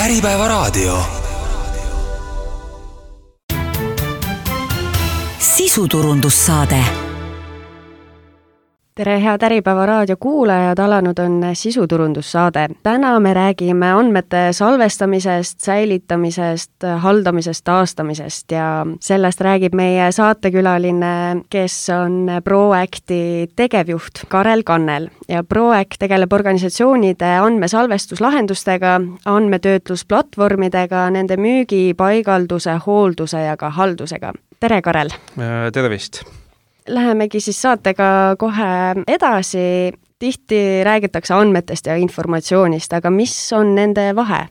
Äripäevaraadio. Sisuturundussaade. Tere, head Äripäevaraadio kuulajad, alanud on sisuturundussaade. Täna me räägime andmete salvestamisest, säilitamisest, haldamisest, taastamisest ja sellest räägib meie saatekülaline, kes on ProActi tegevjuht Karel Kannel. Ja ProAct tegeleb organisatsioonide andmesalvestuslahendustega, andmetöötlusplatvormidega, nende müügi, paigalduse, hoolduse ja ka haldusega. Tere, Karel! Tervist! Lähemegi siis saatega kohe edasi. Tihti räägitakse andmetest ja informatsioonist, aga mis on nende vahe?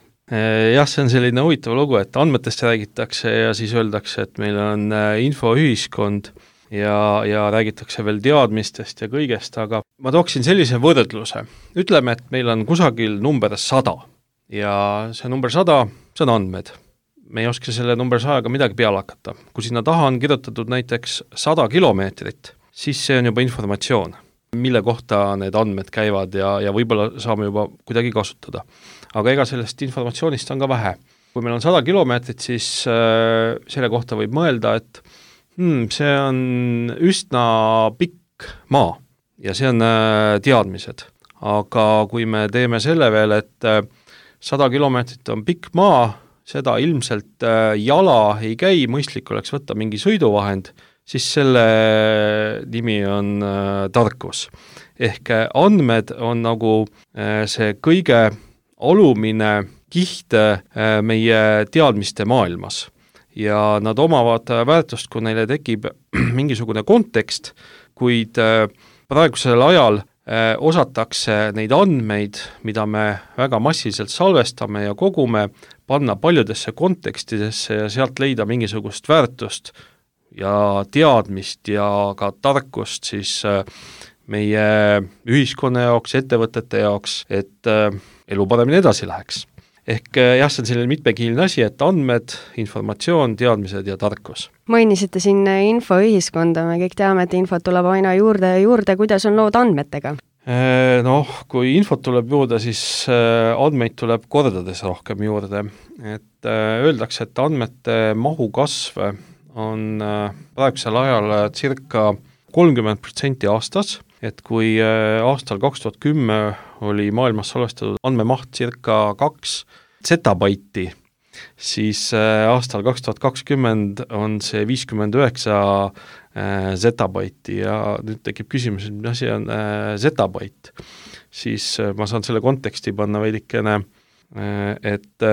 Jah, see on selline huvitav lugu, et andmetest räägitakse ja siis öeldakse, et meil on infoühiskond ja räägitakse veel teadmistest ja kõigest, aga ma tooksin sellise võrdluse. Ütleme, et meil on kusagil number 100 ja see number 100, see on andmed. Me ei oska selle number 100-ga midagi peale hakata. Kui sinna taha on kirjutatud näiteks 100 kilomeetrit, siis see on juba informatsioon, mille kohta need andmed käivad ja võib-olla saame juba kuidagi kasutada. Aga ega sellest informatsioonist on ka vähe. Kui meil on 100 kilomeetrit, siis selle kohta võib mõelda, et see on üsna pikk maa ja see on teadmised. Aga kui me teeme selle veel, et 100 kilomeetrit on pikk maa, seda ilmselt jala ei käi, mõistlik oleks võtta mingi sõiduvahend, siis selle nimi on tarkus. Ehk andmed on nagu see kõige alumine kiht meie teadmiste maailmas. Ja nad omavad väärtust, kui neile tekib mingisugune kontekst, kuid praegusel ajal osatakse neid andmeid, mida me väga massiliselt salvestame ja kogume, panna paljudesse kontekstidesse ja sealt leida mingisugust väärtust ja teadmist ja ka tarkust siis meie ühiskonna jaoks, ettevõtete jaoks, et elu paremini edasi läheks. Ehk jah, see on selline mitmekiiline asi, et andmed, informatsioon, teadmised ja tarkus. Mainisite siin infoühiskonda, me kõik teame, et infot tuleb aina juurde ja juurde, kuidas on lood andmetega? Kui infot tuleb juurde, siis andmeid tuleb kordades rohkem juurde. Et öeldakse, et andmete mahu kasv on praegusel ajal circa 30% aastas, et kui aastal 2010 oli maailmas salvestatud andmemaht circa 2 zetabaiti, siis aastal 2020 on see 59 zetabaiti ja nüüd tekib küsimus, et mis asi on zetabait. Siis ma saan selle konteksti panna veidikene, et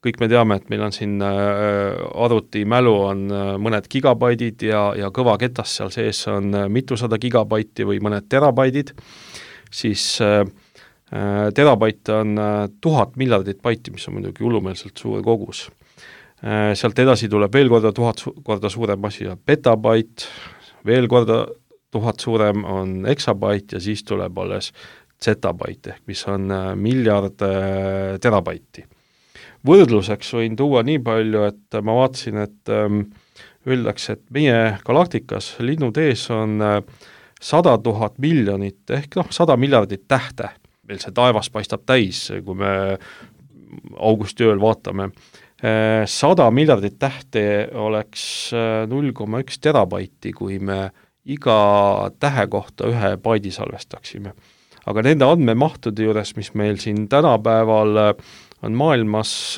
kõik me teame, et meil on siin arvutimälu on mõned gigabaidid ja kõva ketas seal sees on mitusada gigabaiti või mõned terabaidid, siis terabait on 1000 miljardit baiti, mis on muidugi hullumeelselt suur kogus. Sealt edasi tuleb veel korda 1000 korda suurem asi, petabait, veel korda 1000 suurem on eksabait ja siis tuleb alles zetabait, ehk mis on miljard terabaiti. Võrdluseks võin tuua nii palju, et ma vaatasin, et öeldakse, et meie galaktikas linnutees on 100 000 miljonit ehk 100 miljardit tähte. Meil see taevas paistab täis, kui me augustiööl vaatame. 100 miljardit tähte oleks 0,1 terabaiti, kui me iga tähe kohta ühe baidi salvestaksime. Aga nende andmemahtude juures, mis meil siin tänapäeval on maailmas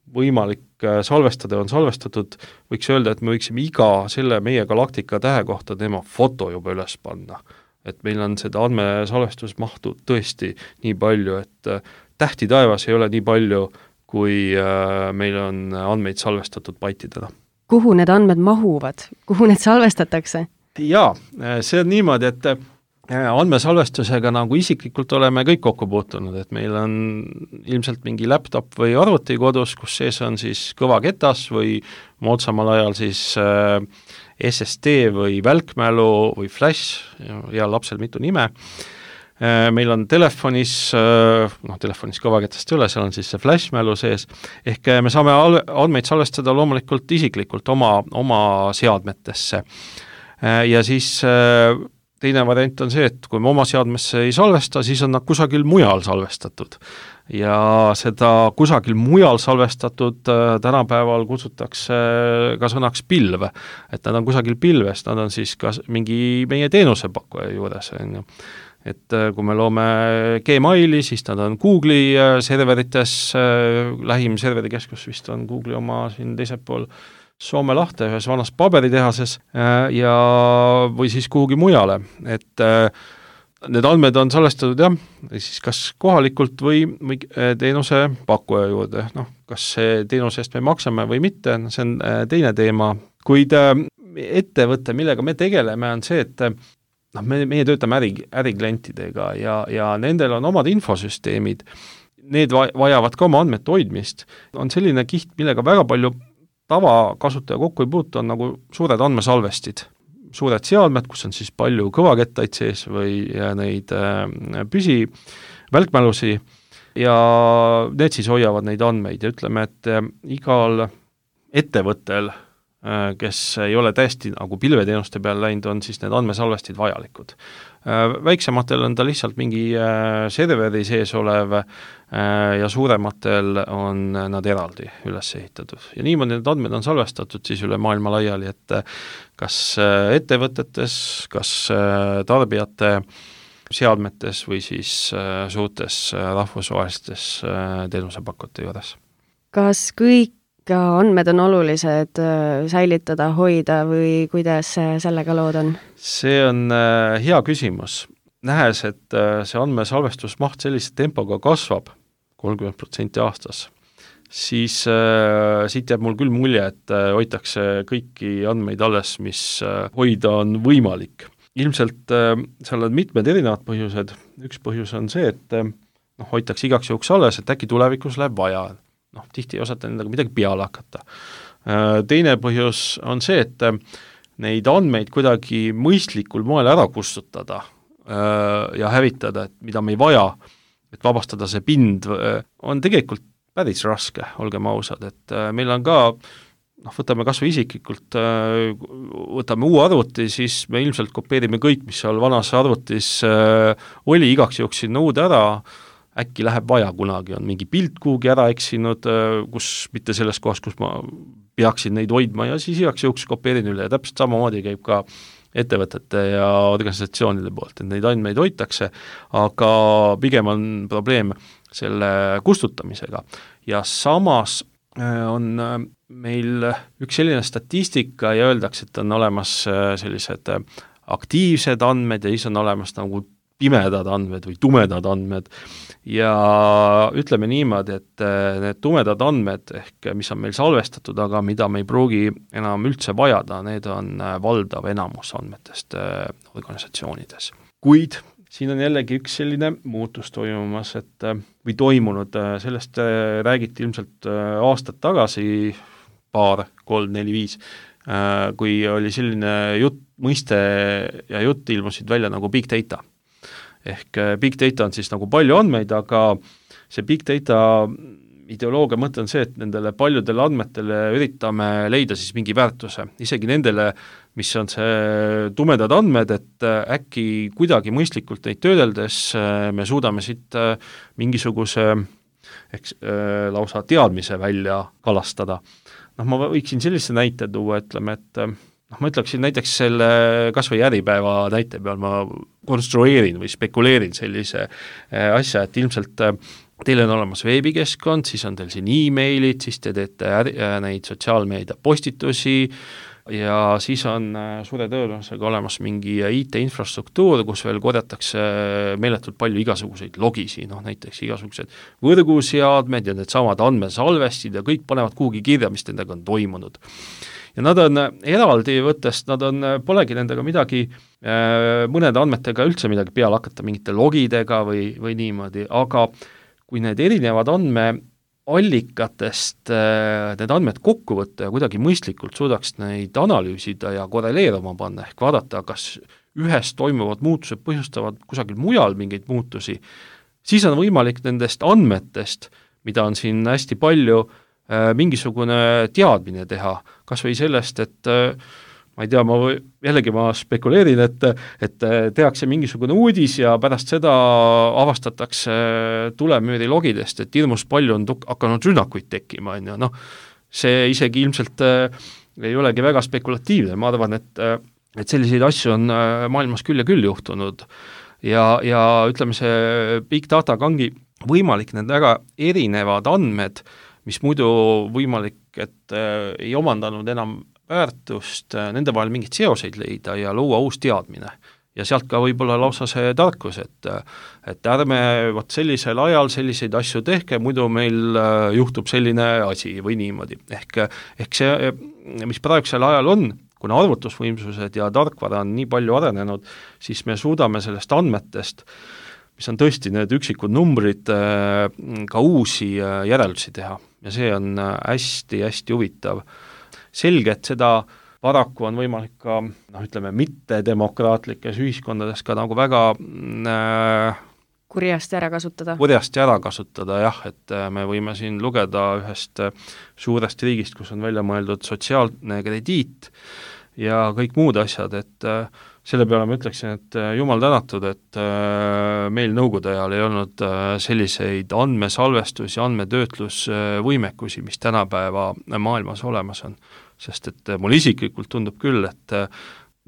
võimalik salvestada, on salvestatud, võiks öelda, et me võiksime iga selle meie galaktika tähe kohta tema foto juba üles panna. Et meil on seda andmesalvestusmahtu tõesti nii palju, et tähti taevas ei ole nii palju, kui meil on andmeid salvestatud baitidena. Kuhu need andmed mahuvad? Kuhu need salvestatakse? Jaa, see on niimoodi, et andmesalvestusega nagu isiklikult oleme kõik kokku puutunud, et meil on ilmselt mingi laptop või arvuti kodus, kus sees on siis kõva ketas või moodsamal ajal siis SSD või välkmälu või flash, ja lapsel mitu nime. Meil on telefonis kõvaketast üle, seal on siis see flashmälu sees, ehk me saame andmeid salvestada loomulikult isiklikult oma seadmetesse. Ja siis teine variant on see, et kui me oma seadmesse ei salvesta, siis on nad kusagil mujal salvestatud. Ja seda kusagil mujal salvestatud tänapäeval kutsutakse ka sõnaks pilv, et nad on kusagil pilves, nad on siis ka mingi meie teenusepakkuja juures, on ju. Et kui me loome Gmaili, siis nad on Google'i serverites, lähim serverikeskus vist on Google'i oma siin teisel pool Soome lahte ühes vanas paberitehases ja või siis kuhugi mujale, et need andmed on salvestatud jah, siis kas kohalikult või teenuse pakkuja juurde, kas see teenuse eest me maksame või mitte, see on teine teema, kuid ettevõte, millega me tegeleme, on see, et meie töötame äriklientidega ja nendel on omad infosüsteemid, need vajavad ka oma andmete hoidmist, on selline kiht, millega väga palju tavakasutaja kokku ei puutu, on nagu suured andmesalvestid, suured seadmed, kus on siis palju kõvakettaid sees või neid välkmälusi ja need siis hoiavad neid andmeid ja ütleme, et igal ettevõttel, kes ei ole täiesti nagu pilveteenuste peale läinud, on siis need andmesalvestid vajalikud. Väiksematel on ta lihtsalt mingi serveri sees olev ja suurematel on nad eraldi üles ehitatud. Ja niimoodi need andmed on salvestatud siis üle maailma laiali, et kas ettevõtetes, kas tarbijate seadmetes või siis suurtes rahvusvahelistes teenusepakkujate juures. Kas kõik andmed on olulised säilitada, hoida või kuidas sellega lood on? See on hea küsimus. Nähes, et see andmesalvestusmaht sellise tempoga kasvab 30% aastas, siis siit jääb mul küll mulje, et hoitakse kõiki andmeid alles, mis hoida on võimalik. Ilmselt seal on mitmed erinevad põhjused. Üks põhjus on see, et hoitakse igaks juhuks alles, et äkki tulevikus läheb vaja. Tihti ei osata nendega midagi peale hakata. Teine põhjus on see, et neid andmeid kuidagi mõistlikul moel ära kustutada ja hävitada, et mida me ei vaja, et vabastada see pind, on tegelikult päris raske, olgem ausad, et meil on ka, võtame kas või isiklikult, võtame uue arvuti, siis me ilmselt kopeerime kõik, mis seal vanas arvutis oli, igaks juhuks sinna uude ära, äkki läheb vaja kunagi, on mingi pilt kuhugi ära eksinud, kus mitte selles kohas, kus ma peaksin neid hoidma ja siis igaks juhuks kopeerin üle ja täpselt samamoodi käib ka ettevõtete ja organisatsioonide poolt, et neid andmeid hoitakse, aga pigem on probleem selle kustutamisega. Ja samas on meil üks selline statistika ja öeldakse, et on olemas sellised aktiivsed andmed ja siis on olemas nagu pimedad andmed või tumedad andmed ja ütleme niimoodi, et need tumedad andmed, ehk mis on meil salvestatud, aga mida me ei pruugi enam üldse vajada, need on valdav enamus andmetest organisatsioonides. Kuid siin on jällegi üks selline muutus toimumas, et või toimunud, sellest räägiti ilmselt aastad tagasi, 2, 3, 4, 5, kui oli selline mõiste ja jutt ilmusid välja nagu big data. Ehk big data on siis nagu palju andmeid, aga see big data ideoloogia mõte on see, et nendele paljudele andmetele üritame leida siis mingi väärtuse, isegi nendele, mis on see tumedad andmed, et äkki kuidagi mõistlikult neid töödeldes me suudame siit mingisuguse lausa teadmise välja kalastada. Ma võiksin sellise näite tuua, ütleme, et ma ütleksin näiteks selle kas või Äripäeva näite peal ma konstrueerin või spekuleerin sellise asja, et ilmselt teil on olemas veebikeskkond, siis on teil siin e-mailid, siis te teete neid sotsiaalmeedia postitusi ja siis on suure tõenäosusega olemas mingi IT-infrastruktuur, kus veel korjatakse meeletult palju igasuguseid logisi, näiteks igasugused võrguseadmed ja need samad andmesalvestid ja kõik panevad kuhugi kirja, mis nendega on toimunud. Ja nad on eraldi võttest, polegi nendega midagi, mõnede andmetega üldse midagi peale hakata, mingite logidega või niimoodi, aga kui need erinevad andmeallikatest need andmed kokku võtta ja kuidagi mõistlikult suudaks neid analüüsida ja korreleeruma panna, ehk vaadata, kas ühes toimuvad muutused põhjustavad kusagil mujal mingeid muutusi, siis on võimalik nendest andmetest, mida on siin hästi palju, mingisugune teadmine teha, kas või sellest, et ma ei tea, ma spekuleerin, et tehakse mingisugune uudis ja pärast seda avastatakse tulemüüri logidest, et hirmus palju on hakanud rünnakuid tekkima, on ju, noh, see isegi ilmselt ei olegi väga spekulatiivne, ma arvan, et selliseid asju on maailmas küll ja küll juhtunud ja ütleme, see big data ongi võimalik, need väga erinevad andmed, mis muidu võimalik, et ei omandanud enam väärtust, nende vahel mingeid seoseid leida ja luua uus teadmine. Ja sealt ka võib-olla lausa see tarkus, et ärme sellisel ajal selliseid asju tehke, muidu meil juhtub selline asi või niimoodi. Ehk see, mis praegusel ajal on, kuna arvutusvõimsused ja tarkvara on nii palju arenenud, siis me suudame sellest andmetest, mis on tõesti need üksikud numbrid, ka uusi järeldusi teha. Ja see on hästi-hästi huvitav. Selge, et seda paraku on võimalik ka, ütleme, mittedemokraatlikes ühiskondades ka nagu väga kurjasti ära kasutada. Jah, et me võime siin lugeda ühest suurest riigist, kus on välja mõeldud sotsiaalne krediit ja kõik muud asjad, et selle peale ma ütleksin, et jumal tänatud, et meil nõukogude ajal ei olnud selliseid andmesalvestus- ja andmetöötlusvõimekusi, mis tänapäeva maailmas olemas on. Sest et mul isiklikult tundub küll, et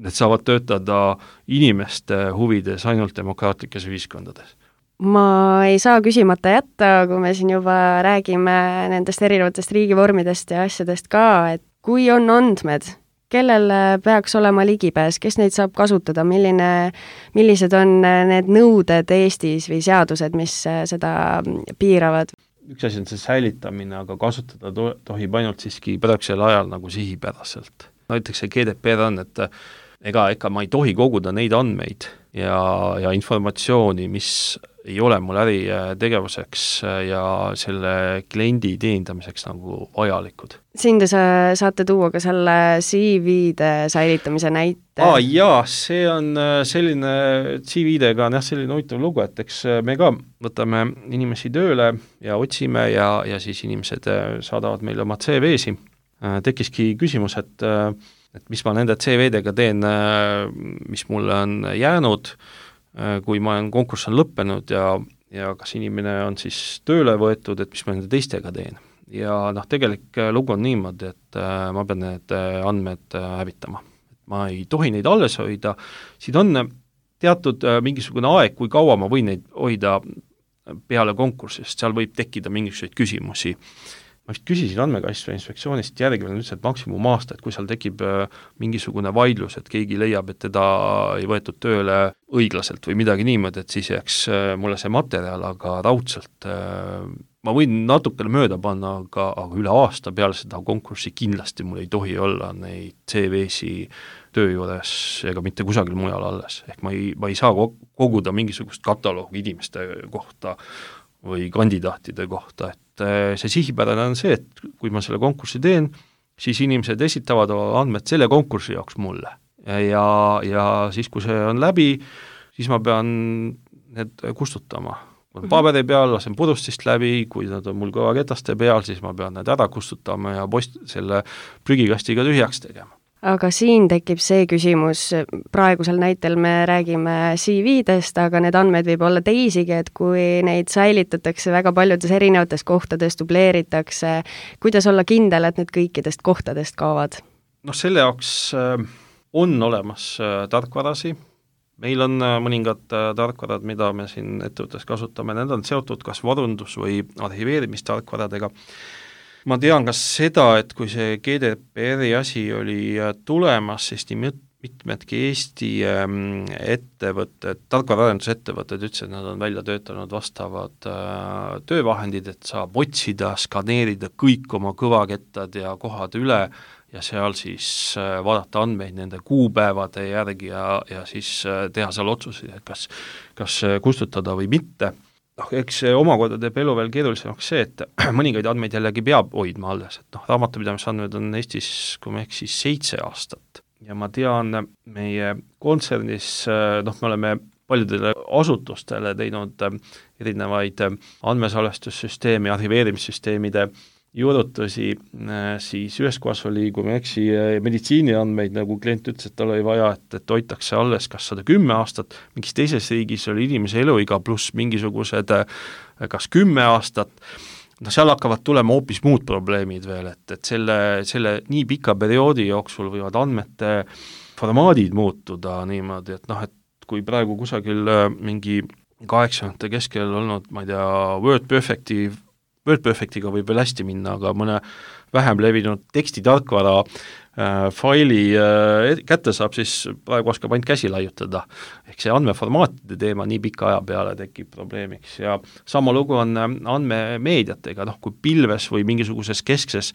need saavad töötada inimeste huvides ainult demokraatlikes ühiskondades. Ma ei saa küsimata jätta, kui me siin juba räägime nendest erinevatest riigivormidest ja asjadest ka, et kui on andmed, kellel peaks olema ligipääs, kes neid saab kasutada, millised on need nõuded Eestis või seadused, mis seda piiravad? Üks asi on see säilitamine, aga kasutada tohib ainult siiski praegusel ajal nagu sihipäraselt. Näiteks see GDPR on, et ega ma ei tohi koguda neid andmeid ja informatsiooni, mis ei ole mul äritegevuseks ja selle kliendi teenindamiseks nagu vajalikud. Siin te saate tuua ka selle CV-de säilitamise näite. Jaa, see on selline CV-dega on selline huvitav lugu, et eks me ka võtame inimesi tööle ja otsime ja siis inimesed saadavad meile oma CV-si. Tekkiski küsimus, et mis ma nende CV-dega teen, mis mulle on jäänud, kui ma olen konkurss on lõppenud ja kas inimene on siis tööle võetud, et mis ma nende teistega teen. Ja tegelik lugu on niimoodi, et ma pean need andmed hävitama. Ma ei tohi neid alles hoida, siin on teatud mingisugune aeg, kui kaua ma võin neid hoida peale konkursist, seal võib tekkida mingisuguseid küsimusi. Ma vist küsisin andmekaitse inspektsioonist järgi veel üldse, et maksimum aasta, et kui seal tekib mingisugune vaidlus, et keegi leiab, et teda ei võetud tööle õiglaselt või midagi niimoodi, et siis jääks mulle see materjal, aga raudselt ma võin natukene mööda panna, aga üle aasta peale seda konkurssi kindlasti mul ei tohi olla neid CV-si töö juures ega mitte kusagil mujal alles. Ehk ma ei saa koguda mingisugust kataloogi inimeste kohta või kandidaatide kohta, et see sihipärane on see, et kui ma selle konkursi teen, siis inimesed esitavad andmed selle konkursi jaoks mulle. Ja siis, kui see on läbi, siis ma pean need kustutama. Paberi peal lasen purustist läbi, kui nad on mul kõvaketaste peal, siis ma pean need ära kustutama ja selle prügikastiga tühjaks tegema. Aga siin tekib see küsimus, praegusel näitel me räägime CV-dest, aga need andmed võib olla teisigi, et kui neid säilitatakse väga paljudes erinevates kohtades, dubleeritakse, kuidas olla kindel, et need kõikidest kohtadest kaovad? Selle jaoks on olemas tarkvarasi, meil on mõningad tarkvarad, mida me siin ettevõttes kasutame, need on seotud kas varundus- või arhiveerimistarkvaradega. Ma tean ka seda, et kui see GDPR-i asi oli tulemas, siis nii mitmedki Eesti ettevõtted, tarkvaraarendusettevõtted ütlesid, et nad on välja töötanud vastavad töövahendid, et saab otsida, skaneerida kõik oma kõvakettad ja kohad üle ja seal siis vaadata andmeid nende kuupäevade järgi ja siis teha seal otsuseid, et kas kustutada või mitte. Eks see omakorda teeb elu veel keerulisemaks see, et mõningaid andmeid jällegi peab hoidma alles, et raamatupidamisandmed on Eestis, kui me siis 7 aastat ja ma tean, meie kontsernis, me oleme paljudele asutustele teinud erinevaid andmesalvestussüsteemi, arhiveerimissüsteemide juurutusi, siis ühes kohas oli, kui ma eksi, meditsiiniandmeid, nagu klient ütles, et tal oli vaja, et hoitakse alles kas 110 aastat, mingis teises riigis oli inimese eluiga pluss mingisugused kas 10 aastat, seal hakkavad tulema hoopis muud probleemid veel, et selle nii pika perioodi jooksul võivad andmete formaadid muutuda niimoodi, et et kui praegu kusagil mingi 80 keskel olnud, ma ei tea, WordPerfectiga võib veel hästi minna, aga mõne vähem levinud tekstitarkvara faili kätte saab, siis praegu oskab ainult käsi laiutada. Ehk see andmeformaatide teema nii pika aja peale tekib probleemiks ja sama lugu on andmemeediatega, kui pilves või mingisuguses keskses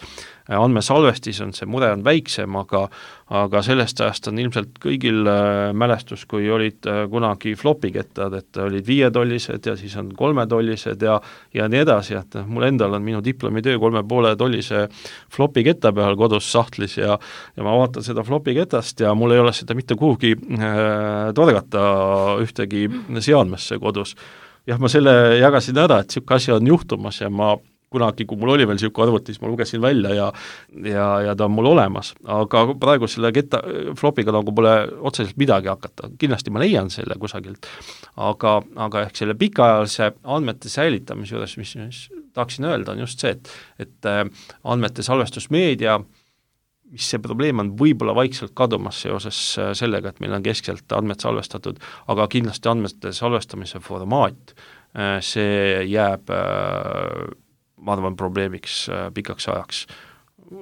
andmesalvestis on see mure on väiksem, aga sellest ajast on ilmselt kõigil mälestus, kui olid kunagi flopikettad, et olid 5-tollised ja siis on 3-tollised ja nii edasi, et mul endal on minu diplomitöö 3,5-tollise flopiketta peal kodus sahtlis ja ma vaatan seda flopiketast ja mul ei ole seda mitte kuhugi torgata ühtegi seadmesse kodus. Jah, ma selle jagasin ära, et niisugune asi on juhtumas ja ma kunagi, kui mul oli veel niisugune arvutis, ma lugesin välja ja ta on mul olemas, aga praegu selle flopiga nagu pole otseselt midagi hakata. Kindlasti ma leian selle kusagilt, aga ehk selle pikaajalise andmete säilitamise juures, mis tahaksin öelda, on just see, et andmete salvestusmeedia, mis see probleem on võib-olla vaikselt kadumas seoses sellega, et meil on keskselt andmed salvestatud, aga kindlasti andmete salvestamise formaat, see jääb, ma arvan, probleemiks pikaks ajaks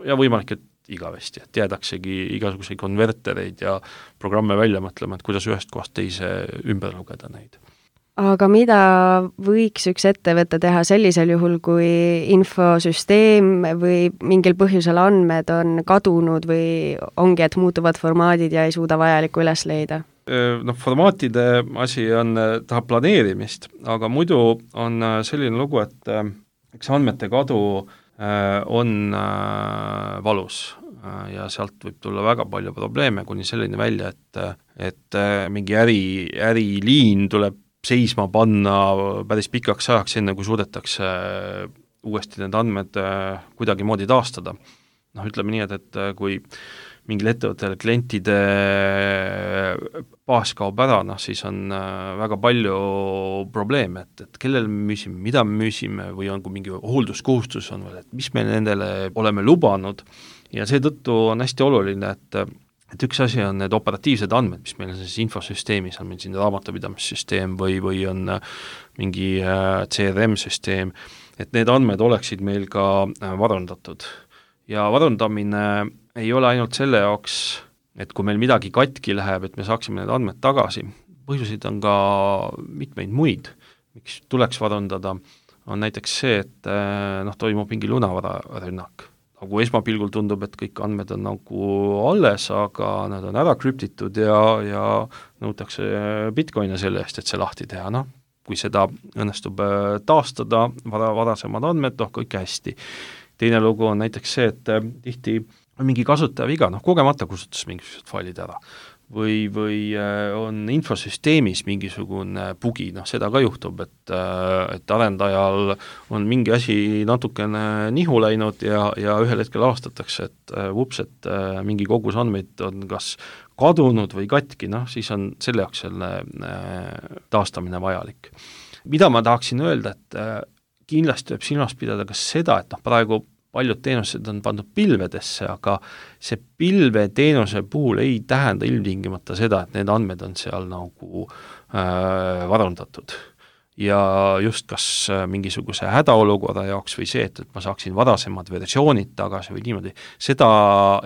ja võimalik, et igavesti, et jäädaksegi igasuguseid konvertereid ja programme välja mõtlema, et kuidas ühest kohast teise ümber lugeda neid. Aga mida võiks üks ettevõte teha sellisel juhul, kui infosüsteem või mingil põhjusel andmed on kadunud või ongi, et muutuvad formaadid ja ei suuda vajalikku üles leida? Formaatide asi on, tahab planeerimist, aga muidu on selline lugu, et eks andmete kadu on valus ja sealt võib tulla väga palju probleeme, kuni selline välja, et mingi äriliin tuleb seisma panna päris pikaks ajaks, enne kui suudetakse uuesti need andmed kuidagi moodi taastada. Ütleme nii, et kui mingil ettevõttel klientide baas kaob ära, siis on väga palju probleeme, et kellele me müüsime, mida me müüsime või on, kui mingi hoolduskohustus on veel, et mis me nendele oleme lubanud ja seetõttu on hästi oluline, et üks asi on need operatiivsed andmed, mis meil on siis infosüsteemis, on meil siin raamatupidamissüsteem või on mingi CRM-süsteem, et need andmed oleksid meil ka varundatud. Ja varundamine ei ole ainult selle jaoks, et kui meil midagi katki läheb, et me saaksime need andmed tagasi, põhjuseid on ka mitmeid muid, miks tuleks varundada, on näiteks see, et toimub mingi lunavararünnak. Nagu esmapilgul tundub, et kõik andmed on nagu alles, aga nad on ära krüptitud ja nõutakse bitcoine selle eest, et see lahti teha. Kui seda õnnestub taastada, varasemad andmed, kõik hästi. Teine lugu on näiteks see, et tihti on mingi kasutaja viga, kogemata kustutas mingisugused failid ära. Või on infosüsteemis mingisugune bugi, seda ka juhtub, et arendajal on mingi asi natukene nihu läinud ja ühel hetkel avastatakse, et et mingi kogus andmeid on kas kadunud või katki, siis on selle jaoks selle taastamine vajalik. Mida ma tahaksin öelda, et kindlasti võib silmas pidada ka seda, et praegu paljud teenused on pandud pilvedesse, aga see pilveteenuse puhul ei tähenda ilmtingimata seda, et need andmed on seal nagu varundatud. Ja just kas mingisuguse hädaolukorra jaoks või see, et ma saaksin varasemad versioonid tagasi või niimoodi, seda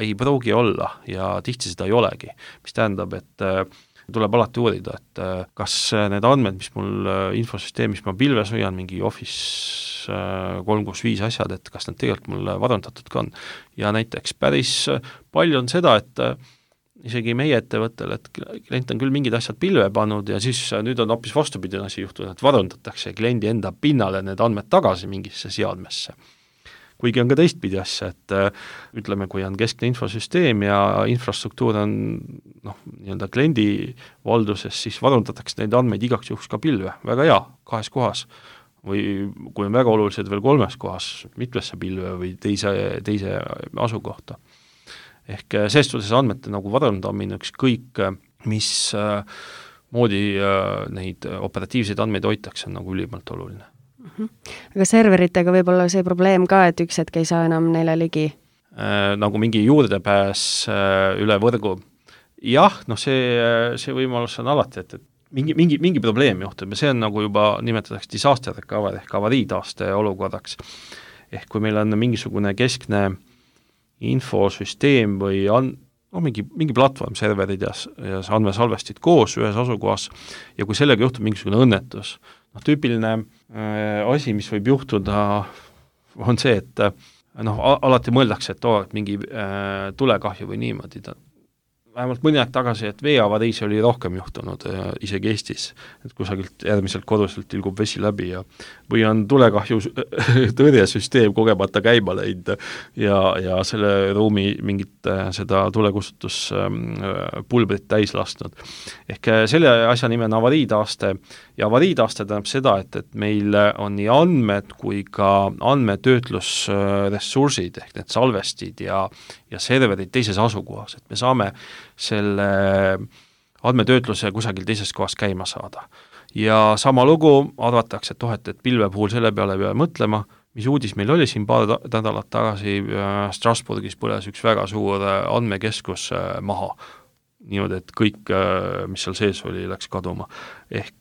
ei pruugi olla ja tihti seda ei olegi, mis tähendab, et tuleb alati uurida, et kas need andmed, mis mul infosüsteemis ma pilves hoian, mingi Office 365 asjad, et kas need tegelikult mul varundatud ka on. Ja näiteks päris palju on seda, et isegi meie ettevõttel, et klient on küll mingid asjad pilve pannud ja siis nüüd on hoopis vastupidine asi juhtunud, et varundatakse kliendi enda pinnale need andmed tagasi mingisse seadmesse. Kuigi on ka teistpidi asja, et ütleme, kui on keskne infosüsteem ja infrastruktuur on nii-öelda kliendi valduses, siis varundatakse neid andmeid igaks juhuks ka pilve, väga hea, 2 kohas. või kui on väga olulised veel 3 kohas, mitmesse pilve või teise asukohta. Ehk selles suhtes andmete nagu varandamine ükskõik, mis moodi neid operatiivseid andmeid hoitakse, on nagu ülimalt oluline. Aga serveritega võib olla see probleem ka, et üks hetk ei saa enam neile ligi? Nagu mingi juurdepääs üle võrgu. Jah, see võimalus on alati, et mingi probleem juhtub ja see on nagu juba nimetatakse disaster recovery ehk avariitaaste olukorraks. Ehk kui meil on mingisugune keskne infosüsteem või mingi platvorm, serverid ja andmesalvestid koos ühes asukohas ja kui sellega juhtub mingisugune õnnetus, tüüpiline asi, mis võib juhtuda, on see, et alati mõeldakse, et mingi tulekahju või niimoodi. Vähemalt mõni aeg tagasi, et veeavariisi oli rohkem juhtunud isegi Eestis, et kusagilt järgmiselt koduselt tilgub vesi läbi või on tulekahju tõrjesüsteem kogemata käima läinud ja selle ruumi mingit seda tulekustutuspulbrit täis lasknud. Ehk selle asja nime on avariitaaste ja avariitaaste tähendab seda, et meil on nii andmed kui ka andmetöötlusressursid ehk need salvestid ja serverid teises asukohas, et me saame selle andmetöötluse kusagil teises kohas käima saada. Ja sama lugu arvatakse, et pilve puhul selle peale peale mõtlema, mis uudis meil oli siin paar nädalat tagasi, Strasbourgis põles üks väga suur andmekeskus maha. Niimoodi, et kõik, mis seal sees oli, läks kaduma. Ehk,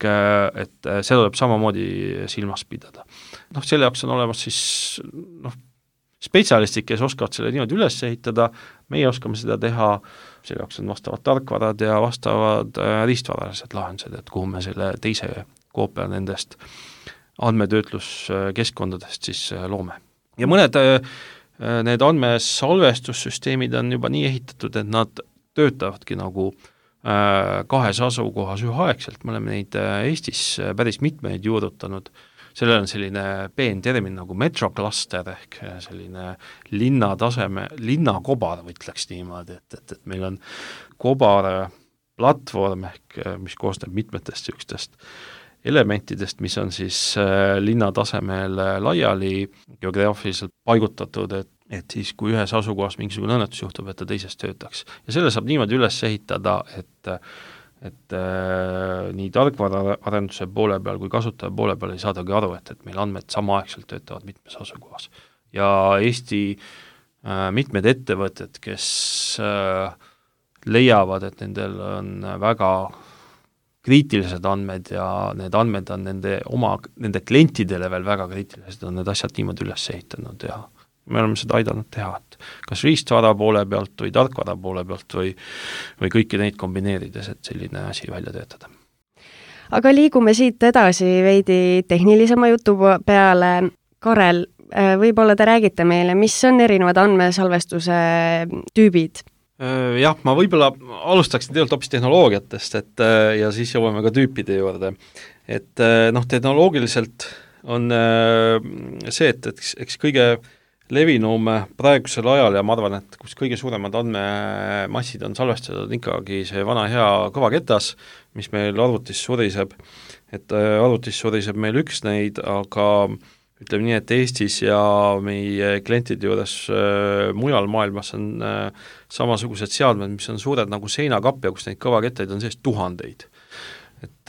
et seda tuleb samamoodi silmas pidada. Selle jaoks on olemas siis spetsialistid, kes oskavad selle niimoodi üles ehitada, meie oskame seda teha, selle jaoks on vastavad tarkvarad ja vastavad riistvaralised lahendused, et kuhu me selle teise koopia nendest andmetöötluskeskkondadest siis loome. Ja mõned need andmesalvestussüsteemid on juba nii ehitatud, et nad töötavadki nagu 2 asukohas üheaegselt, me oleme neid Eestis päris mitmeid juurutanud. Sellel on selline peentermin nagu metrokluster ehk selline linnakobar, võtleks niimoodi, et meil on kobar platvorm ehk mis koosneb mitmetest ükstest elementidest, mis on siis linna tasemel laiali geograafiliselt paigutatud, et siis kui ühes asukohas mingisugune õnnetus juhtub, et ta teises töötaks. Ja selle saab niimoodi üles ehitada, et nii tarkvaraarenduse poole peal kui kasutaja poole peal ei saadagi aru, et meil andmed samaaegselt töötavad mitmes asukohas. Ja Eesti mitmed ettevõtted, kes leiavad, et nendel on väga kriitilised andmed ja need andmed on nende klientidele veel väga kriitilised, on need asjad niimoodi üles ehitanud ja me oleme seda aidanud teha, et kas riistvara poole pealt või tarkvara poole pealt või kõiki neid kombineerides, et selline asi välja töötada. Aga liigume siit edasi veidi tehnilisema jutu peale. Karel, võib-olla te räägite meile, mis on erinevad andmesalvestuse tüübid? Jah, ma võib-olla alustaksin tegelikult hoopis tehnoloogiatest, ja siis jõuame ka tüüpide juurde. Et tehnoloogiliselt on see, et eks kõige levinum praegusel ajal ja ma arvan, et kus kõige suuremad andmemassid on salvestatud ikkagi see vana hea kõvaketas, mis meil arvutis suriseb. Et arvutis suriseb meil üks neid, aga ütleme nii, et Eestis ja meie klientide juures mujal maailmas on samasugused seadmed, mis on suured nagu seinakapp ja kus neid kõvakettaid on sees tuhandeid. Et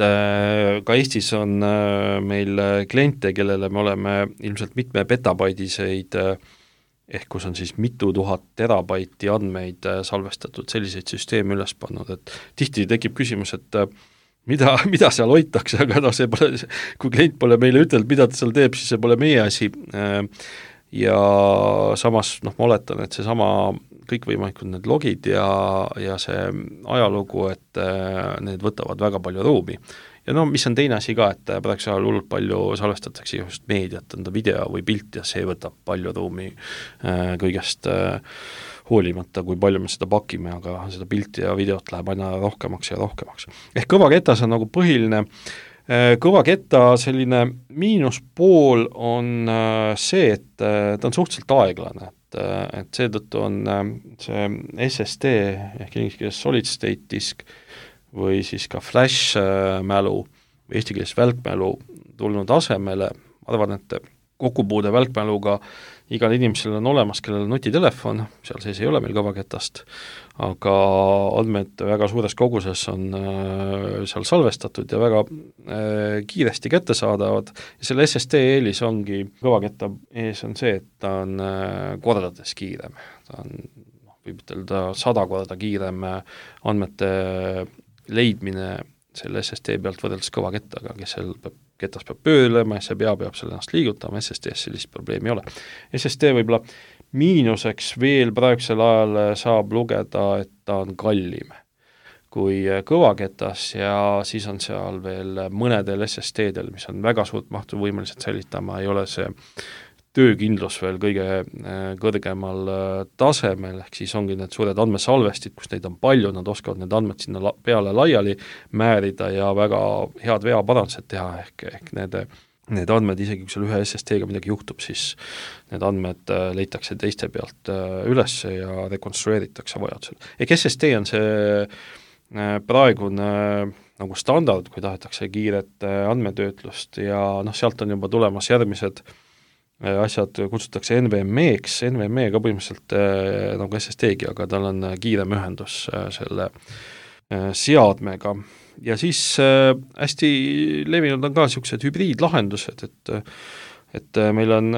ka Eestis on meil kliente, kellele me oleme ilmselt mitme petabaidiseid, ehk kus on siis mitu tuhat terabaiti andmeid salvestatud, selliseid süsteeme üles pannud, et tihti tekib küsimus, et mida seal hoitakse, aga see pole, kui klient pole meile ütelnud, mida ta seal teeb, siis see pole meie asi. Ja samas ma oletan, et see sama kõikvõimalikud need logid ja see ajalugu, et need võtavad väga palju ruumi. Ja mis on teine asi ka, et praegusel ajal hullult palju salvestatakse just meediat, on ta video või pilt ja see võtab palju ruumi kõigest hoolimata, kui palju me seda pakime, aga seda pilti ja videot läheb aina rohkemaks ja rohkemaks. Ehk kõvaketas on nagu põhiline. Kõvaketta selline miinuspool on see, et ta on suhteliselt aeglane, et seetõttu on see SSD ehk inglise keeles solid state disk või siis ka flash mälu või eesti keeles välkmälu tulnud asemele, arvan, et kokkupuude välkmäluga igal inimesel on olemas, kellel on nutitelefon, seal sees ei ole meil kõvaketast, aga andmed väga suures koguses on seal salvestatud ja väga kiiresti kättesaadavad ja selle SSD eelis ongi kõvaketta ees on see, et ta on kordades kiirem, ta on võib ütelda 100 korda kiirem andmete leidmine selle SSD pealt võrreldes kõvakettaga, ketas peab pöörlema ja see peab seal ennast liigutama, SSD-s sellist probleemi ei ole. SSD võib-olla miinuseks veel praegusel ajal saab lugeda, et ta on kallim kui kõvaketas ja siis on seal veel mõnedel SSD-del, mis on väga suurt mahtu võimelised säilitama, ei ole see töökindlus veel kõige kõrgemal tasemel, ehk siis ongi need suured andmesalvestid, kus neid on palju, nad oskavad need andmed sinna peale laiali määrida ja väga head veaparandused teha, ehk need andmed, isegi kui seal ühe SSD-ga midagi juhtub, siis need andmed leitakse teiste pealt üles ja rekonstrueeritakse vajadusel. Ehk SSD on see praegune nagu standard, kui tahetakse kiiret andmetöötlust ja sealt on juba tulemas järgmised asjad kutsutakse NVMe-ks, NVMe ka põhimõtteliselt nagu SSD-gi, aga tal on kiirem ühendus selle seadmega. Ja siis hästi levinud on ka niisugused hübriidlahendused, et meil on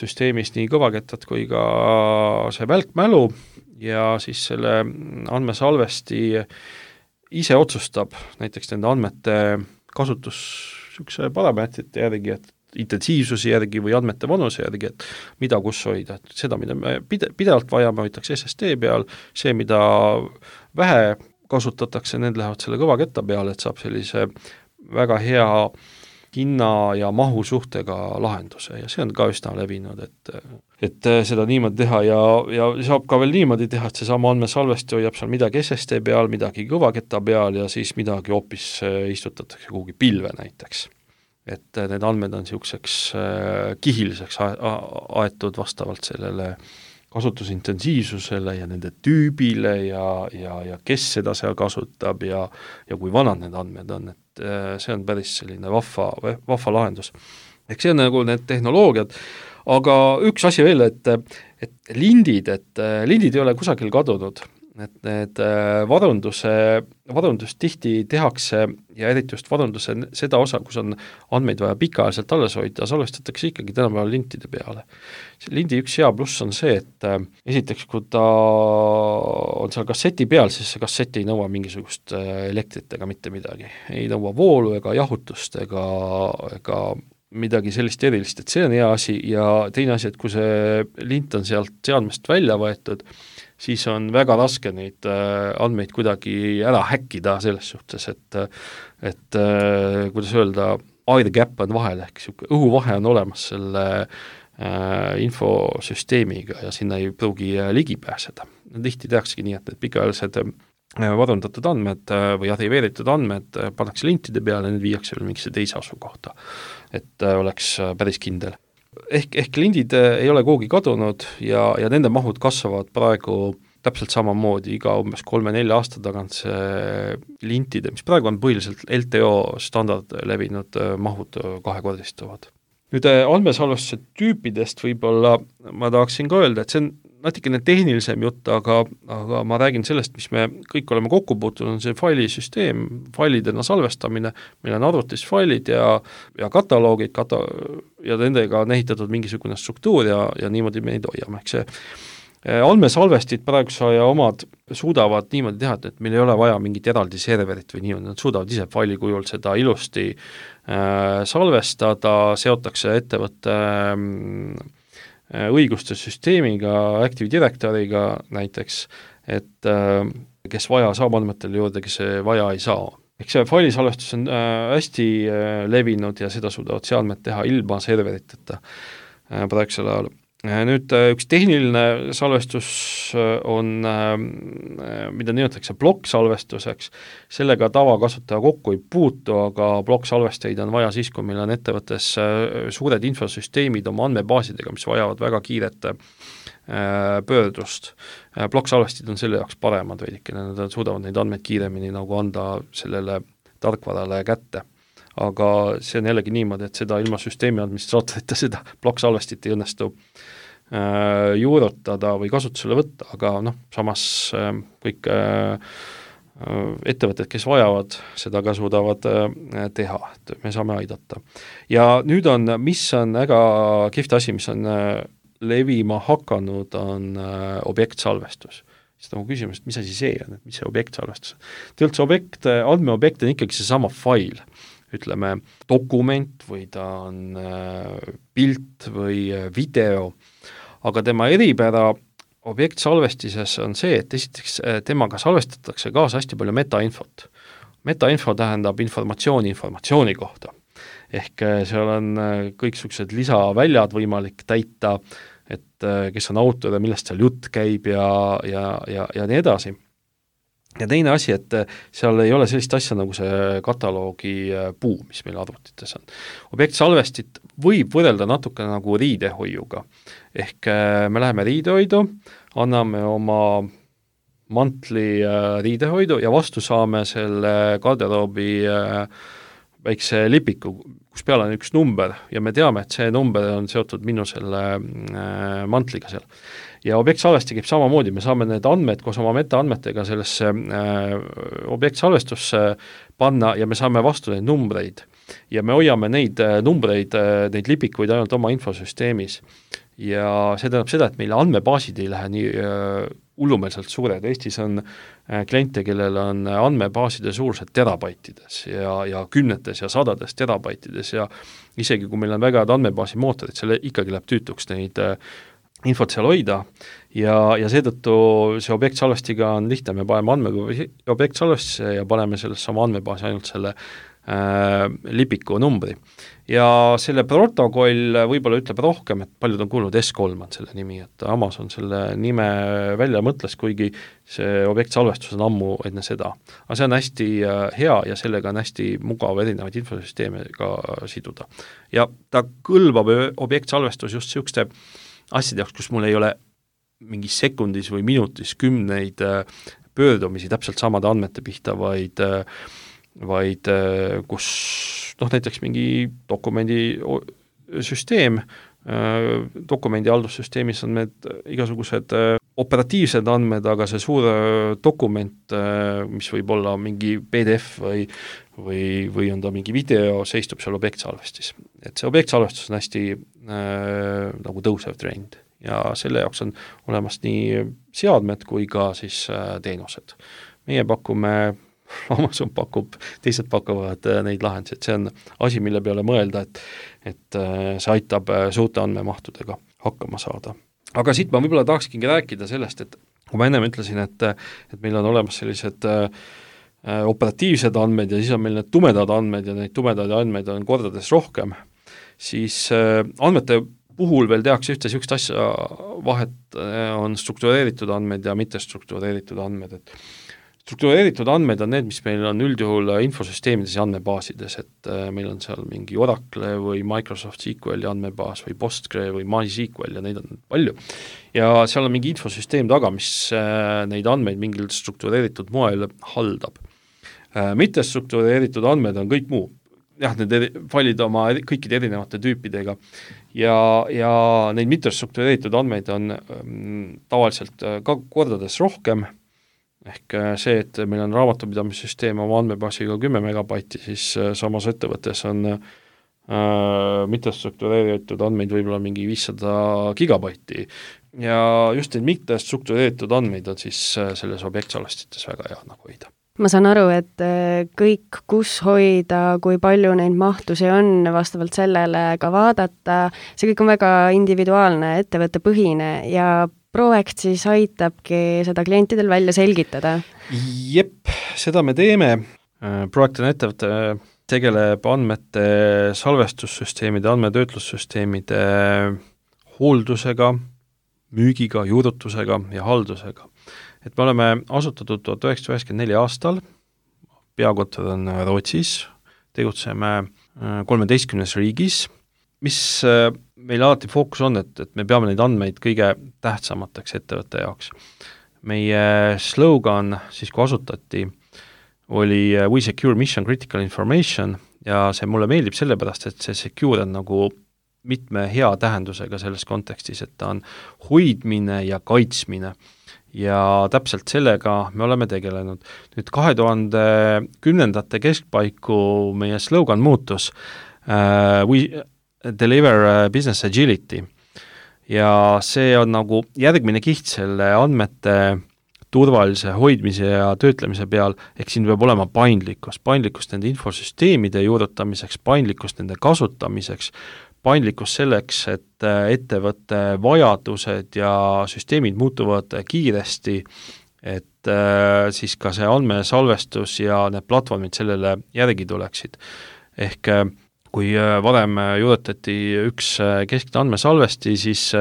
süsteemis nii kõvakettad kui ka see välkmälu ja siis selle andmesalvesti ise otsustab näiteks nende andmete kasutus niisuguse parameetrite järgi, et intensiivsuse järgi või andmete vanuse järgi, et mida kus hoida, et seda, mida me pidevalt vajame, hoitakse SSD peal, see, mida vähe kasutatakse, need lähevad selle kõvaketta peale, et saab sellise väga hea hinna ja mahu suhtega lahenduse ja see on ka üsna levinud, et seda niimoodi teha ja saab ka veel niimoodi teha, et seesama andmesalvesti hoiab seal midagi SSD peal, midagi kõvaketta peal ja siis midagi hoopis istutatakse kuhugi pilve näiteks. Et need andmed on niisuguseks kihiliseks aetud vastavalt sellele kasutusintensiivsusele ja nende tüübile ja kes seda seal kasutab ja kui vanad need andmed on, et see on päris selline vahva lahendus. Ehk see on nagu need tehnoloogiad, aga üks asi veel, et lindid ei ole kusagil kadunud, et need varundus tihti tehakse ja eriti just varunduse seda osa, kus on andmeid vaja pikaajaliselt alles hoida, salvestatakse ikkagi tänapäeval lintide peale. Lindi üks hea pluss on see, et esiteks, kui ta on seal kasseti peal, siis see kassett ei nõua mingisugust elektrit ega mitte midagi. Ei nõua voolu ega jahutust ega midagi sellist erilist, et see on hea asi ja teine asi, et kui see lint on sealt seadmest välja võetud, siis on väga raske neid andmeid kuidagi ära häkkida selles suhtes, et kuidas öelda, air gap on vahel, ehk õhuvahe on olemas selle infosüsteemiga ja sinna ei pruugi ligi pääseda. Tihti tehaksegi nii, et need pikaajalised varundatud andmed või arhiveeritud andmed pannakse lintide peale ja need viiakse veel mingisse teise asukohta, et oleks päris kindel. Ehk lindid ei ole kuhugi kadunud ja nende mahud kasvavad praegu täpselt samamoodi iga umbes 3-4 aasta tagant see lintide, mis praegu on põhiliselt LTO standard levinud mahud kahekordistuvad. Nüüd andmesalvestuse tüüpidest võib-olla ma tahaksin ka öelda, et see on natukene tehnilisem jutt, aga ma räägin sellest, mis me kõik oleme kokku puutunud, on see failisüsteem, failidena salvestamine, meil on arvutis failid ja kataloogid ja nendega on ehitatud mingisugune struktuur ja niimoodi me neid hoiame, ehk see andmesalvestid praeguse aja omad suudavad niimoodi teha, et meil ei ole vaja mingit eraldi serverit või niimoodi, nad suudavad ise faili kujul seda ilusti salvestada, seotakse ettevõtte õiguste süsteemiga, Active Directoriga näiteks, et kes vaja saab andmetele juurde, kes vaja ei saa. Eks see failisalvestus on hästi levinud ja seda suudavad seadmed teha ilma serveriteta praegusel ajal. Nüüd üks tehniline salvestus on, mida nimetatakse plokksalvestuseks, sellega tavakasutaja kokku ei puutu, aga plokksalvesteid on vaja siis, kui meil on ettevõttes suured infosüsteemid oma andmebaasidega, mis vajavad väga kiiret pöördust. Plokksalvestid on selle jaoks paremad veidikene, nad suudavad neid andmeid kiiremini nagu anda sellele tarkvarale kätte. aga see on jällegi niimoodi, et seda ilma süsteemi administraatorita seda plokk-salvestit ei õnnestu juurutada või kasutusele võtta, aga samas kõik ettevõtted, kes vajavad, seda ka suudavad teha, et me saame aidata. Ja nüüd mis on väga kihvt asi, mis on levima hakanud, on objektsalvestus. Siis on küsimus, et mis asi see on, et mis see objektsalvestus on. Üldse andmeobjekt on ikkagi seesama fail, ütleme dokument või ta on pilt või video, aga tema eripära objektsalvestises on see, et esiteks temaga salvestatakse kaasa hästi palju metainfot. Metainfo tähendab informatsiooni kohta. Ehk seal on kõiksugused lisaväljad võimalik täita, et kes on autor ja millest seal jutt käib ja nii edasi. Ja teine asi, et seal ei ole sellist asja nagu see kataloogi puu, mis meil arvutites on. Objektsalvestit võib võrrelda natuke nagu riidehoiuga. Ehk me läheme riidehoidu, anname oma mantli riidehoidu ja vastu saame selle garderoobi väikse lipiku, kus peal on üks number ja me teame, et see number on seotud minu selle mantliga seal. Ja objektsalvesti käib samamoodi, me saame need andmed koos oma metaandmetega sellesse objektsalvestusse panna ja me saame vastu neid numbreid. Ja me hoiame neid numbreid, neid lipikuid ainult oma infosüsteemis. Ja see tähendab seda, et meile andmebaasid ei lähe nii hullumeelselt suured. Eestis on kliente, kellel on andmebaaside suurused terabaitides ja kümnetes ja sadades terabaitides ja isegi kui meil on väga head andmebaasi mootorid, selle ikkagi läheb tüütuks neid infot seal hoida ja seetõttu see objektsalvestiga on lihtne, me paneme objektsalvestisse ja paneme sellesse sama andmebaasi ainult selle lipiku numbri. Ja selle protokoll võib-olla ütleb rohkem, et paljud on kuulnud S3 on selle nimi, et Amazon selle nime välja mõtles, kuigi see objektsalvestus on ammu enne seda. Aga see on hästi hea ja sellega on hästi mugav erinevaid infosüsteeme ka siduda. Ja ta kõlbab objektsalvestus just niisuguste asjade jaoks, kus mul ei ole mingis sekundis või minutis kümneid pöördumisi täpselt samade andmete pihta, vaid kus näiteks mingi dokumendi süsteem, dokumendi haldussüsteemis on need igasugused operatiivsed andmed, aga see suur dokument, mis võib olla mingi PDF või on ta mingi video, seistub seal objektsalvestis. Et see objektsalvestus on hästi nagu tõusev trend ja selle jaoks on olemas nii seadmed kui ka siis teenused. Meie pakume Amazon pakub, teised pakuvad neid lahendusi, et see on asi, mille peale mõelda, et see aitab suurte andmemahtudega hakkama saada. Aga siit ma võib-olla tahaksingi rääkida sellest, et kui ma ennem ütlesin, et meil on olemas sellised operatiivsed andmed ja siis on meil need tumedad andmed ja neid tumedaid andmeid on kordades rohkem, siis andmete puhul veel tehakse ühte niisugust asja vahet on struktureeritud andmed ja mitte struktureeritud andmed, et struktureeritud andmed on need, mis meil on üldjuhul infosüsteemides ja andmebaasides, et meil on seal mingi Oracle või Microsoft SQL andmebaas või Postgre või MySQL ja neid on palju. Ja seal on mingi infosüsteem taga, mis neid andmeid mingil struktureeritud moel haldab. Mitte struktureeritud andmed on kõik muu. Jah, need failid oma kõikide erinevate tüüpidega ja neid mitte struktureeritud andmeid on tavaliselt ka kordades rohkem. Ehk see, et meil on raamatupidamissüsteem oma andmebaasiga 10 megabaiti, siis samas ettevõttes on mittestruktureeritud andmeid võib-olla mingi 500 gigabaiti. Ja just neid mittestruktureeritud andmeid on siis selles objektsalvestites väga hea nagu hoida. Ma saan aru, et kõik, kus hoida, kui palju neid mahtusi on, vastavalt sellele ka vaadata, see kõik on väga individuaalne, ettevõttepõhine ja Proact siis aitabki seda klientidel välja selgitada? Jep, seda me teeme. Proact on ettevõte, tegeleb andmete salvestussüsteemide, andmetöötlussüsteemide hooldusega, müügiga, juurutusega ja haldusega. Et me oleme asutatud 1994 aastal, peakontor on Rootsis, tegutseme 13 riigis, mis meil alati fookus on, et me peame neid andmeid kõige tähtsamateks ettevõtte jaoks. Meie slogan, siis kui asutati, oli We Secure Mission Critical Information ja see mulle meeldib sellepärast, et see secure on nagu mitme hea tähendusega selles kontekstis, et ta on hoidmine ja kaitsmine. Ja täpselt sellega me oleme tegelenud. Nüüd 2010. keskpaiku meie slogan muutus We deliver business agility. Ja see on nagu järgmine kiht selle andmete turvalise hoidmise ja töötlemise peal, ehk siin peab olema paindlikkus nende infosüsteemide juurutamiseks, paindlikkus nende kasutamiseks, paindlikkus selleks, et ettevõtte vajadused ja süsteemid muutuvad kiiresti, et siis ka see andmesalvestus ja need platvormid sellele järgi tuleksid. Ehk kui varem juurutati üks keskne andmesalvesti, siis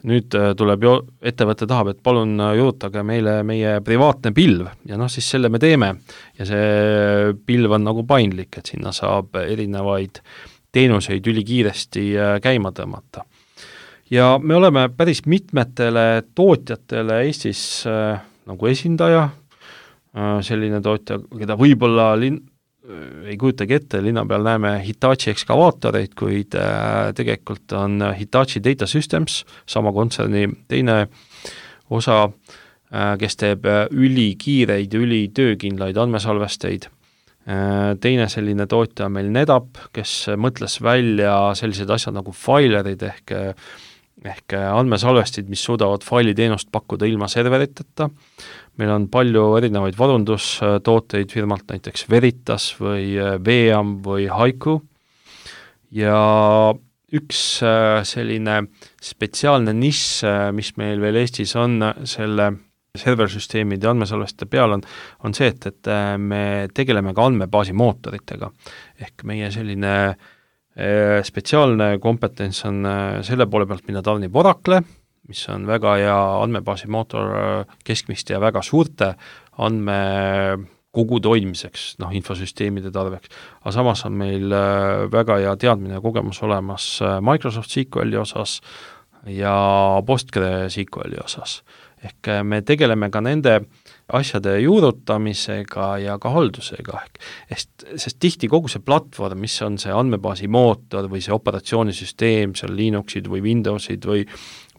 nüüd tuleb ettevõte tahab, et palun juurutage meile meie privaatne pilv ja siis selle me teeme ja see pilv on nagu paindlik, et sinna saab erinevaid teenuseid ülikiiresti käima tõmmata. Ja me oleme päris mitmetele tootjatele Eestis nagu esindaja, selline tootja, keda võib-olla ei kujutagi ette, linna peal näeme Hitachi ekskavaatoreid, kuid tegelikult on Hitachi Data Systems, sama kontserni teine osa, kes teeb ülikiireid ja ülitöökindlaid andmesalvesteid. Teine selline tootja on meil NetApp, kes mõtles välja sellised asjad nagu failerid ehk andmesalvestid, mis suudavad failiteenust pakkuda ilma serveriteta. Meil on palju erinevaid varundustooteid firmalt, näiteks Veritas või Veam või Haiku. Ja üks selline spetsiaalne nišš, mis meil veel Eestis on selle serversüsteemide ja andmesalveste peal on see, et me tegeleme ka andmebaasi mootoritega. Ehk meie selline spetsiaalne kompetents on selle poole pealt, mida tarnib Oracle, mis on väga hea andmebaasi mootor keskmiste ja väga suurte andmekogude hoidmiseks, infosüsteemide tarbeks. Aga samas on meil väga hea teadmine ja kogemus olemas Microsoft SQL-i osas ja PostgreSQL-i osas. Ehk me tegeleme ka nende asjade juurutamisega ja ka haldusega. Sest tihti kogu see platvorm, mis on see andmebaasi mootor või see operatsioonisüsteem, seal Linuxid või Windowsid või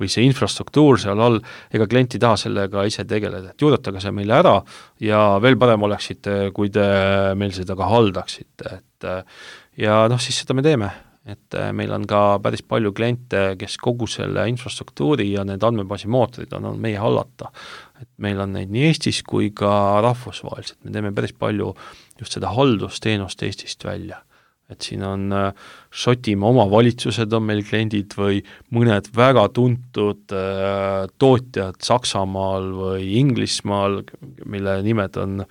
see infrastruktuur seal all, ega klient ei taha sellega ise tegeleda, et juurutage see meile ära ja veel parem oleksite, kui te meil seda ka haldaksite. Ja siis seda me teeme. Et meil on ka päris palju kliente, kes kogu selle infrastruktuuri ja need andmebaasi mootorid on meie hallata. Et meil on neid nii Eestis kui ka rahvusvaheliselt. Me teeme päris palju just seda haldusteenust Eestist välja. Et siin on Šotimaa omavalitsused on meil kliendid või mõned väga tuntud tootjad Saksamaal või Inglismaal, mille nimed on,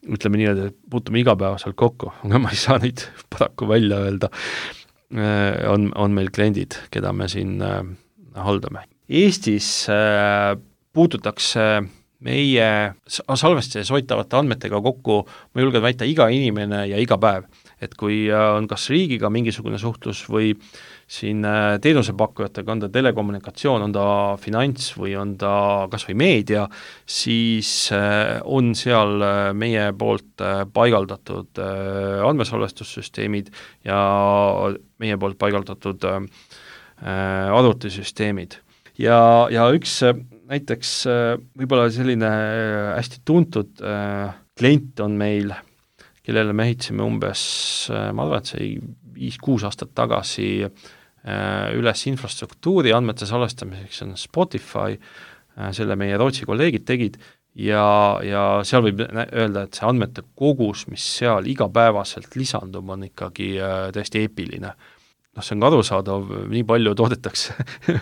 ütleme nii, et puutume igapäevaselt kokku, aga ma ei saa neid paraku välja öelda, on meil kliendid, keda me siin haldame. Eestis puututakse meie salvestes hoitavate andmetega kokku, ma julgen väita, iga inimene ja iga päev. Et kui on kas riigiga mingisugune suhtlus või siin teenusepakkujatega, on ta telekommunikatsioon, on ta finants või on ta kas või meedia, siis on seal meie poolt paigaldatud andmesalvestussüsteemid ja meie poolt paigaldatud arvutisüsteemid. Ja üks näiteks võib-olla selline hästi tuntud klient on meil, kellele me ehitasime umbes, ma arvan, et see 5-6 aastat tagasi üles infrastruktuuri andmete salvestamiseks, on Spotify, selle meie Rootsi kolleegid tegid ja seal võib öelda, et see andmete kogus, mis seal igapäevaselt lisandub, on ikkagi täiesti eepiline. See on ka arusaadav, nii palju toodetakse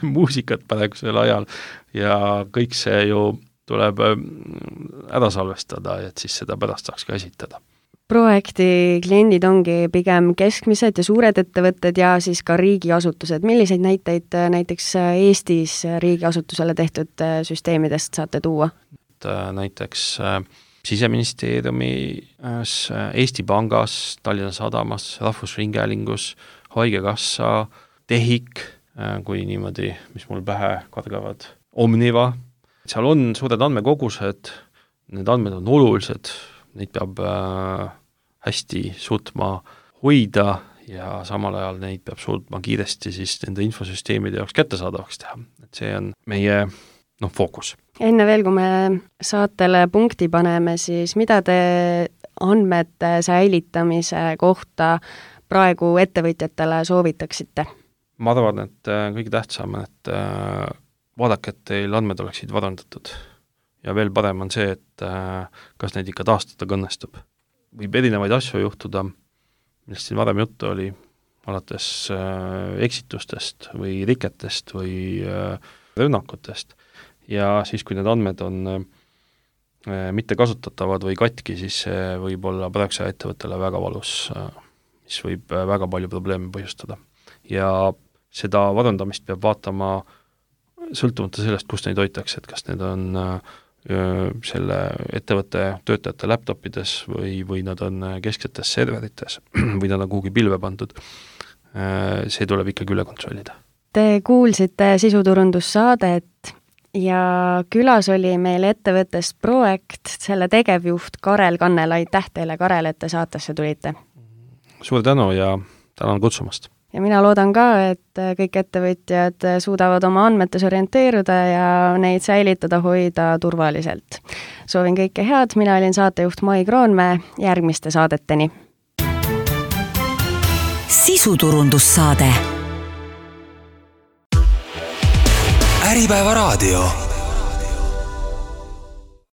muusikat praegusel ajal ja kõik see ju tuleb ära salvestada, et siis seda pärast saaks ka esitada. Projekti kliendid ongi pigem keskmised ja suured ettevõtted ja siis ka riigiasutused. Milliseid näiteid näiteks Eestis riigiasutusele tehtud süsteemidest saate tuua? Näiteks Siseministeeriumis, Eesti Pangas, Tallinna Sadamas, Rahvusringhäälingus, Haigekassa, TEHIK, kui niimoodi, mis mul pähe kargavad, Omniva. Seal on suured andmekogused, need andmed on olulised, neid peab hästi suutma hoida ja samal ajal neid peab suutma kiiresti siis nende infosüsteemide jaoks kättesaadavaks teha. Et see on meie fookus. Enne veel, kui me saatele punkti paneme, siis mida te andmete säilitamise kohta praegu ettevõtjatele soovitaksite? Ma arvan, et kõige tähtsam, et vaadake, et teil andmed oleksid varandatud. Ja veel parem on see, et kas neid ikka taastada õnnestub. Võib erinevaid asju juhtuda, millest siin varem juttu oli, alates eksitustest või riketest või rünnakutest. Ja siis, kui need andmed on mitte kasutatavad või katki, siis see võib olla praeguse ettevõttele väga valus, mis võib väga palju probleeme põhjustada. Ja seda varandamist peab vaatama sõltumata sellest, kus neid hoitakse, et kas need on selle ettevõtte töötajate laptopides või nad on kesksetes serverites või nad on kuhugi pilve pandud. See tuleb ikkagi üle kontrollida. Te kuulsite sisuturundussaadet ja külas oli meil ettevõttest Proact, selle tegevjuht Karel Kannel. Aitäh teile, Karel, et te saatesse tulite. Suur tänu ja tänan kutsumast. Ja mina loodan ka, et kõik ettevõtjad suudavad oma andmetes orienteeruda ja neid säilitada, hoida turvaliselt. Soovin kõike head, mina olin saatejuht Mai Kroonmäe, järgmiste saadeteni. Sisuturundussaade. Äripäeva raadio.